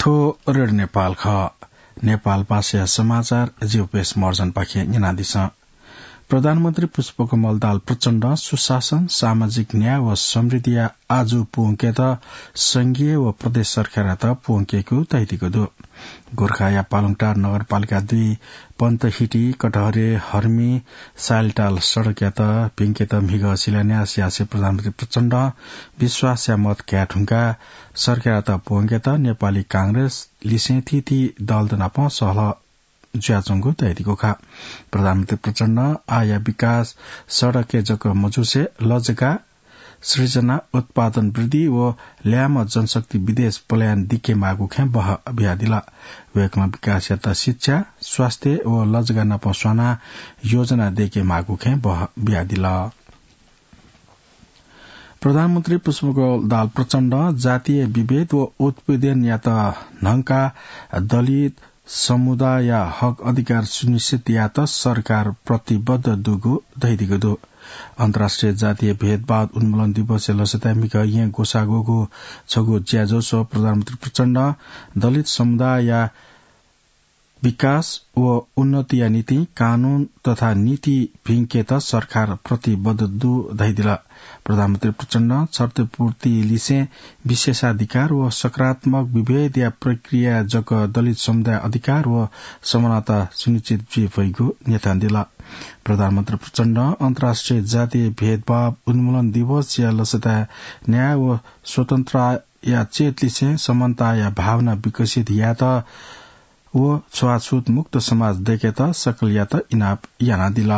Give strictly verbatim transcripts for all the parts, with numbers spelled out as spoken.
थ्व रेडियो नेपाल खः। नेपाल भाषाया समाचार जिउपेश महर्जनपाखें न्यनादिसँ। प्रधानमन्त्री पुष्पकमल दाहाल प्रचण्डं सुशासन, सामाजिक न्याय व समृद्धिया आजु प्वंकेत संघीय व प्रदेश सरकारयात प्वंकेगु धयादीगु दु। गोरखाया पालुङटार नगरपालिका दुई पन्तहिटी कटहरे हर्मी साइलटाल सडकयात भिंकेत म्हिगः शिलान्यास यासें प्रधानमन्त्री प्रचण्डं विश्वासया मत काये धुंकाः सरकारयात प्वंकेत नेपाली कांग्रेस लिसें थीथी दलत नाप सहलह जुयाच्वंगु धयादीगु खः। प्रधानमन्त्री प्रचण्डं आःया विकास सडकय् जक मजुसे लजगाः सृजना, उत्पादन वृद्धि व ल्याय्म्ह जनशक्ति विदेश पलायन दिके माःगु खँय् बहः बियादिल। वय्कलं विकासयात शिक्षा, स्वास्थ्य व लजगाः नाप स्वानाः योजना दय्के माःगु खँय् बहः बियादिल। प्रधानमन्त्री पुष्पकमल दाहाल प्रचण्डं जातीय विभेद व उत्पीडनयात न्हंकाः दलित समुदायया हक अधिकार सुनिश्चित यायेत सरकार प्रतिबद्ध दुगु धयादीगु दु। अन्तर्राष्ट्रिय जातीय भेदभाव उन्मूलन दिवसया लसताय् म्हिगः येँ ग्वसाः ग्वःगु छगू ज्याझ्वलय् प्रधानमन्त्री प्रचण्डं दलित समुदायया विकास व उन्नतिया निंतिं कानून तथा नीति भिंकेत सरकार प्रतिबद्ध दु धयादिल। प्रधानमन्त्री प्रचण्डं क्षतिपूर्ति लिसें विशेषाधिकार व सकारात्मक विभेदया प्रक्रियाय् जक दलित समुदाय अधिकार व समानता सुनिश्चित जुइ फइगु न्यनादिल। प्रधानमन्त्री प्रचण्डं अन्तर्राष्ट्रिय जातीय भेदभाव उन्मूलन दिवसया लसताय् न्याय व स्वतन्त्रताया चेत लिसें समानताया भावना विकसित यायेत व छुवाछुत मुक्त समाज दय्केत सकलयात इनाप यानादिल।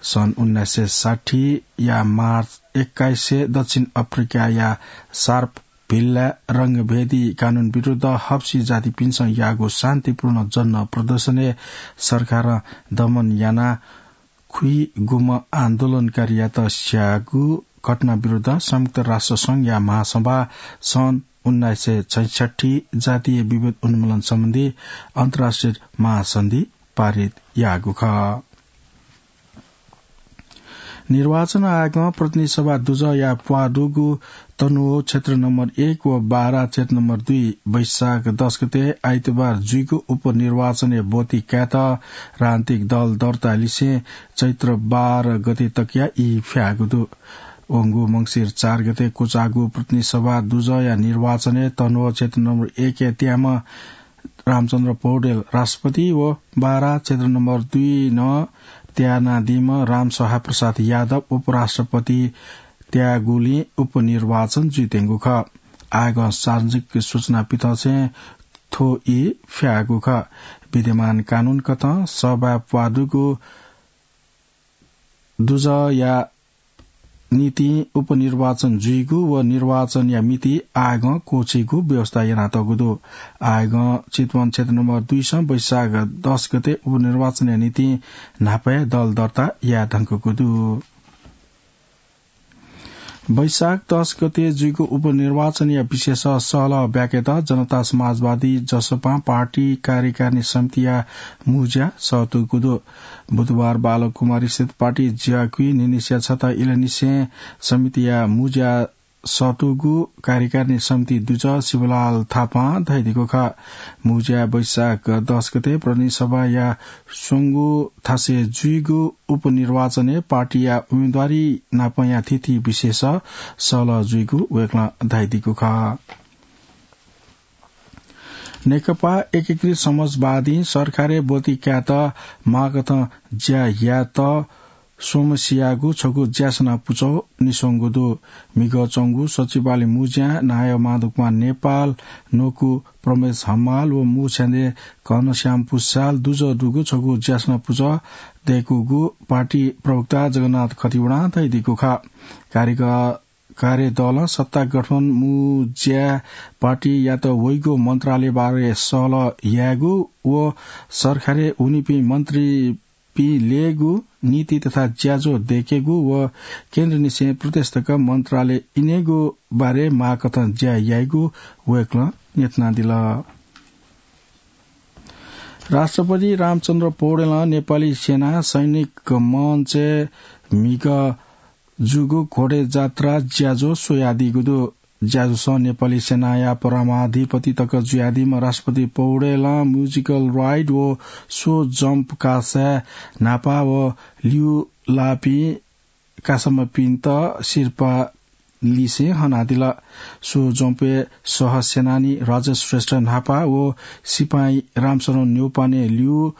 सन् उन्नाइस सय साठीया मार्च एक्काइसय् दक्षिण अफ्रिकाया सार्पभिलय् रंगभेदी कानून विरुद्ध हप्सी जातिपिन्सं याःगु शान्तिपूर्ण जनप्रदर्शनय् सरकारं दमन यानाः खुइगुम्ह आन्दोलनकारीयात स्याःगु घटना विरुद्ध संयुक्त राष्ट्र संघया महासभां सन् उन्नाइस सय छैसठ्ठी जातीय विभेद उन्मूलन सम्बन्धी अन्तर्राष्ट्रिय महासन्धि पारित याःगु खः। निर्वाचन आयोगं प्रतिनिधि सभा दुजःया प्वाः दुगु तनहुँ क्षेत्र नम्बर एक व बारा क्षेत्र नम्बर दुई वैशाख दस गते आइतबार जुइगु उपनिर्वाचनय् ब्वति कायेत राजनीतिक दल दर्ता लिसें चैत्र बाह्र गते तकया ई फ्याःगु दु। वंगु मंसिर चार गते क्वचाःगु प्रतिनिधि सभा दुजःया निर्वाचनय् तनहुँ क्षेत्र नम्बर एकया त्याम्ह रामचन्द्र पौडेल राष्ट्रपति व बारा क्षेत्र नम्बर दुई नं त्यानादीम्ह रामसहाय प्रसाद यादव उपराष्ट्रपति त्याःगुलिं उपनिर्वाचन जुइत्यंगु खः। आयोगं सार्वजनिक सूचना पिथंसें थ्व ई फ्याःगु खः। विद्यमान कानून कथं सभाय् प्वाः दुगु दुजःया निंतिं उपनिर्वाचन जुइगु व निर्वाचनया मिति आयोगं क्वःछीगु व्यवस्था यानातःगु दु। आयोगं चितवन क्षेत्र नम्बर दुईसं वैशाख दस गते उपनिर्वाचनया निंतिं न्हापाय् दल दर्ता याये धुंकूगु दु। वैशाख दस गते जुइगु उपनिर्वाचनया विषयय् सहलह ब्याकेत जनता समाजवादी जसपां पार्टी कार्यकारिणी समितिया मुंज्या सःतूगु दु। बुधबार बालकुमारीस्थित पार्टी ज्याकुइ न्हिनिसिया छता इलंनिसें समितिया मुंज्या सःतूगु कार्यकारिणी समिति दुजः शिवलाल थापां धयादीगु खः। मुंज्या वैशाख दस गते प्रतिनिधि सभाया स्वंगू थासय् जुइगु उपनिर्वाचनय् पार्टीया उम्मेदवारी नापंया थीथी विषयय् सहलह जुइगु वय्कलं धयादीगु खः। नेकपा एकीकृत समाजवादीं सरकारय् ब्वति कायेत माःकथं ज्या यायेत स्वम्हसियागु छगू ज्यासना पुचः निस्वंगु दु। म्हिगः च्वंगु सचिवालय मुंज्यां नायः माधवकुमार नेपाल, न्वकू प्रमेश हमाल व मुछ्यादँय् घनश्याम पुस्याल दुजः दुगु छगू ज्यासना पुचः दय्कूगु पार्टी प्रवक्ता जगन्नाथ खतिवडां धयादीगु खः। कार्यक-, कार्यदलं सत्ता गठबन्धन मुंज्याय् पार्टीयात वइगु मन्त्रालयबारे सहलह यायेगु व सरकारय् वनीपिं मन्त्री पिं ल्ययेगु, नीति तथा ज्याझ्वः दय्केगु व केन्द्रनिसें प्रदेश तक मन्त्रालय इनेगु बारे माःकथं ज्या याइगु वय्कलं न्ह्यथनादिल। राष्ट्रपति रामचन्द्र पौडेलं नेपाली सेना सैनिक मञ्चय् म्हिगः जूगु घोडे जात्रा ज्याझ्वः स्वयादीगु दु। ज्याझ्वलय् नेपाली सेनाया परमाधिपति तक जुयादीम्ह राष्ट्रपति पौडेलं musical ride व show jump कासाय् न्हापा व ल्यू लाःपिं कासाम्हपिन्त सिरपाः लिसें हनादिल। Show jump-य् सह सेनानी राजेश श्रेष्ठ न्हापा व सिपाही रामशरण न्यौपाने ल्यू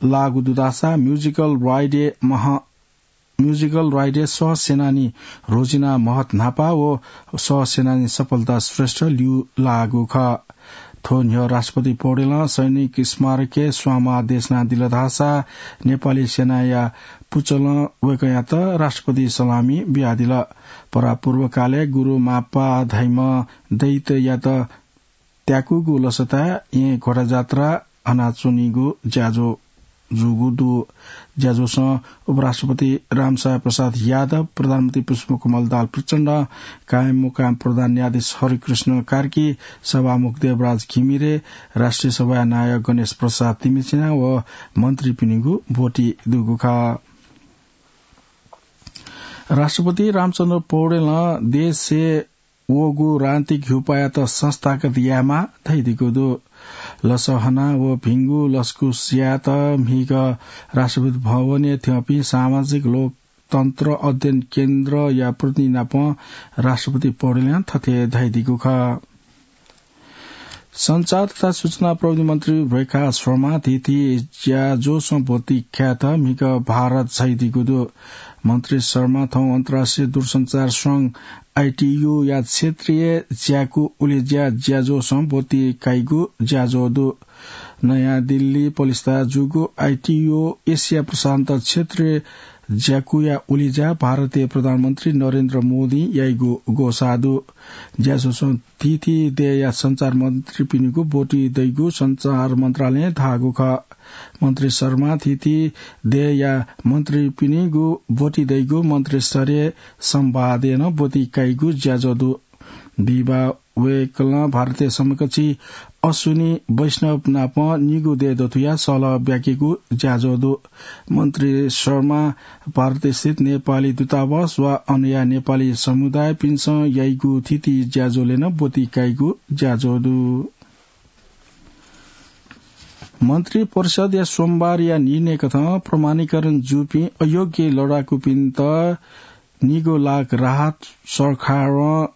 लाःगु दु धाःसा musical ride-य् मह-, musical ride-य् सह सेनानी रोजिना महत न्हापा व सह सेनानी सफलता श्रेष्ठ ल्यू लाःगु खः। थ्व न्ह्यः राष्ट्रपति पौडेलं सैनिक स्मारकय् स्वांमाः देछानादिल धाःसा नेपाली सेनाया पुचलं वय्कःयात राष्ट्रपति सलामी बियादिल। परापूर्वकालय् गुरु मापा धाइम्ह दैत्ययात त्याकूगु लसताय् येँ घोडाजात्रा हनाच्वनीगु ज्याझ्वः जूगु दु। ज्याझ्वलय् उपराष्ट्रपति रामसाय प्रसाद यादव, प्रधानमन्त्री पुष्पकमल दाहाल प्रचण्ड, कायममुकाम प्रधान न्यायाधीश हरिकृष्ण कार्की, सभामुख देवराज घिमिरे, राष्ट्रिय सभाया नायः गणेश प्रसाद तिमिसिना व मन्त्रीपिनिगु ब्वति दुगु खः। राष्ट्रपति रामचन्द्र पौडेलं देशय् वःगु राजनीतिक ह्युपायात संस्थागत यायेमाः धयादीगु दु। लसः हना व भिंगु लसकुस यायेत म्हिगः राष्ट्रपति भवनय् थ्यंपिं सामाजिक लोकतन्त्र अध्ययन केन्द्रया प्रतिनिधि नाप राष्ट्रपति पौडेलं थथे धयादीगु खः। सञ्चार तथा सूचना प्रविधि मन्त्री रेखा शर्मा थीथी ज्याझ्वलय् ब्वति कायेत म्हिगः भारत झायादीगु दु। मन्त्री शर्मा थौं अन्तर्राष्ट्रिय दूरसञ्चार संघ आईटीयूया क्षेत्रीय ज्याकू उलेज्या ज्याझ्वलय् ब्वति काइगु ज्याझ्वः दु। नयाँ दिल्ली पलिस्था जूगु आईटीयू एसिया प्रशान्त क्षेत्रीय ज्याकूया उलेज्या भारतीय प्रधानमन्त्री नरेन्द्र मोदीं याइगु ग्वसाः दु। ज्याझ्वलय् थीथी देय्‌या सञ्चार मन्त्रीपिनिगु ब्वति दइगु सञ्चार मन्त्रालयं धाःगु खः। मन्त्री शर्मा थीथी देय्‌या मन्त्रीपिनिगु ब्वति दइगु मन्त्रीस्तरीय संवादय् नं ब्वति काइगु ज्याझ्वः दु। दिबा वय्‌कलं भारतय् समकक्षी अश्विनी वैष्णव नाप निगू देय् दथुया सल्लाह ब्याकेगु ज्याझ्वः दु। मन्त्री शर्मा भारतय् स्थित नेपाली दूतावास वा अनया नेपाली समुदायपिन्सं याइगु थीथी ज्याझ्वलय् नं ब्वति काइगु ज्याझ्वः दु। मन्त्री परिषदया सोमबारया निर्णयकथं प्रमाणीकरण जूपिं अयोग्य लडाकुपिन्त निगू लाख राहत सरकारं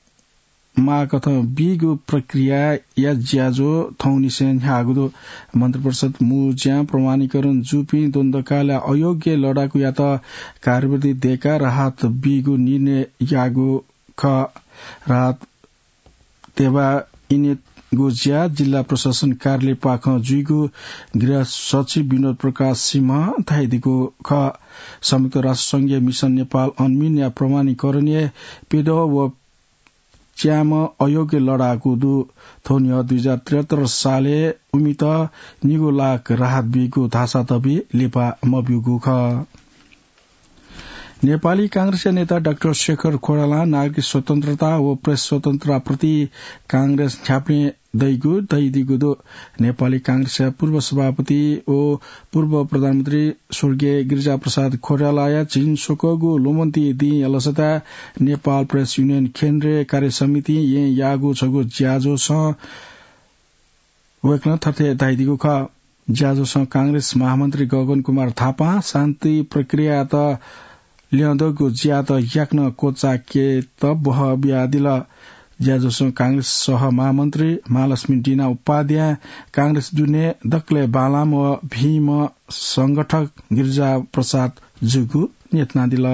माःकथं बीगु प्रक्रियाया ज्याझ्वः थौंनिसें न्ह्याःगु दु। मन्त्रिपरिषद मू ज्यां प्रमाणीकरण जूपिं द्वन्द्वकालया अयोग्य लडाकुयात कार्यवृत्ति दय्‌काः राहत बीगु निर्णय याःगु खः। राहत तेवा इनेगु ज्या जिल्ला प्रशासन कार्यालयपाखें जुइगु गृह सचिव विनोद प्रकाश सिंहं धयादीगु खः। संयुक्त राष्ट्र संघीय मिसन नेपाल अनमिनया प्रमाणीकरणय् प्यदँ व च्याम्ह अयोग्य लडाकु दु। थ्व न्ह्यः दुई हजार त्रिहत्तर सालय् उमित निगू लाख राहत बीगु धाःसा तबि लिपा मब्यूगु खः। नेपाली कांग्रेसया नेता डाक्टर शेखर कोइरालां नागरिक स्वतन्त्रता व प्रेस स्वतन्त्रताप्रति कांग्रेस न्ह्याबलें दइगु धयादीगु दु। नेपाली कांग्रेसया पूर्व सभापति व पूर्व प्रधानमन्त्री स्वर्गीय गिरिजाप्रसाद कोइरालाया झिंस्वकःगु ल्वःमतिइ दिंया लसताय् नेपाल प्रेस युनियन केन्द्रीय कार्यसमितिं येँ याःगु छगू ज्याझ्वलय् वय्‌कलं थथे धयादीगु खः। ज्याझ्वलय् कांग्रेस महामन्त्री गगन कुमार थापां शान्ति प्रक्रियायात ल्यंदुगु ज्यात याकनं क्वचायेकेत बहः बियादिल। ज्याझ्वलय् कांग्रेस सह महामन्त्री महालक्ष्मी डिना उपाध्याय, कांग्रेस दुने दकलय् बांलाःम्ह व भिंम्ह संगठक गिरिजा प्रसाद जूगु न्ह्यथनादिल।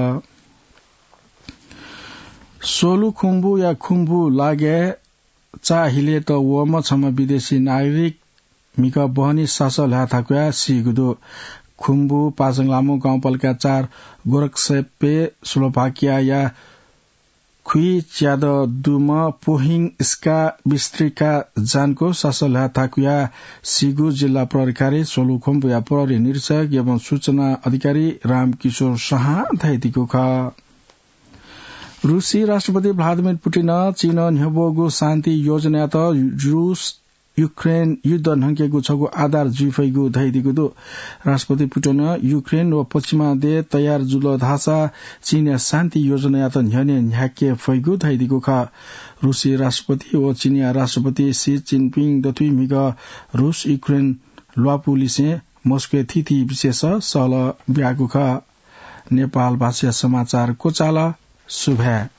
सोलुखुम्बुया खुम्बु लागाय् चाःहिलेत वःम्ह छम्ह विदेशी नागरिक म्हिगः बहनी सासः ल्हाये थाकुयाः सीगु दु। खुम्बु पाजंलामु गाउँपालिका चार गोरक्सेपे स्लोभाकियाया खुइच्यादँ दुम्ह पोहिङ स्का बिस्त्रिका जानको सासः ल्हाये थाकुयाः सीगु जिल्ला प्रहरी कार्यालय सोलुखुम्बुया प्रहरी निरीक्षक एवं सूचना अधिकारी रामकिशोर शाहं धयादीगु खः। रुसी राष्ट्रपति भ्लादिमिर पुटिनं चीनं न्ह्यब्वःगु शान्ति योजनायात रुस युक्रेन युद्ध न्हंकेगु छगू आधार जुइफइगु धइदिगु दु। राष्ट्रपति पुटिनं युक्रेन व पश्चिमा देश तयार जुल धाःसा चीनया शान्ति योजनायात न्ह्यःने न्ह्याके फइगु धइदिगु खः। रूसी राष्ट्रपति व चीनया राष्ट्रपति सी जिनपिङ दथुइ म्हिगः रूस युक्रेन ल्वापुलिसें मस्कोय् थीथी विषयस सहलह ब्याःगु खः। नेपाल भाषाया समाचार क्वचाल। सुभाय्।